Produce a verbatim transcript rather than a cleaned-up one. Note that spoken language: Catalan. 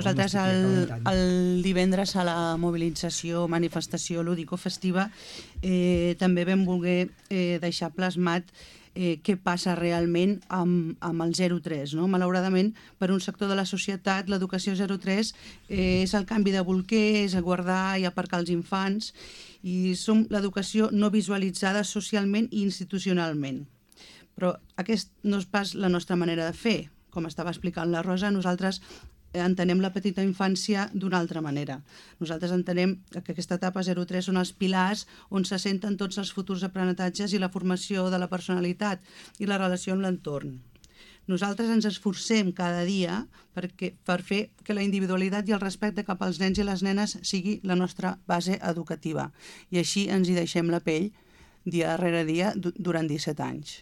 Nosaltres el, el divendres a la mobilització, manifestació lúdico-festiva eh, també vam voler eh, deixar plasmat eh, què passa realment amb, amb el zero tres. No? Malauradament, per un sector de la societat, l'educació zero tres eh, és el canvi de bolquer, és guardar i aparcar els infants, i som l'educació no visualitzada socialment i institucionalment. Però aquest no és pas la nostra manera de fer. Com estava explicant la Rosa, nosaltres entenem la petita infància d'una altra manera. Nosaltres entenem que aquesta etapa zero tres són els pilars on se senten tots els futurs aprenentatges i la formació de la personalitat i la relació amb l'entorn. Nosaltres ens esforcem cada dia perquè, per fer que la individualitat i el respecte cap als nens i les nenes sigui la nostra base educativa. I així ens hi deixem la pell dia darrere dia durant disset anys.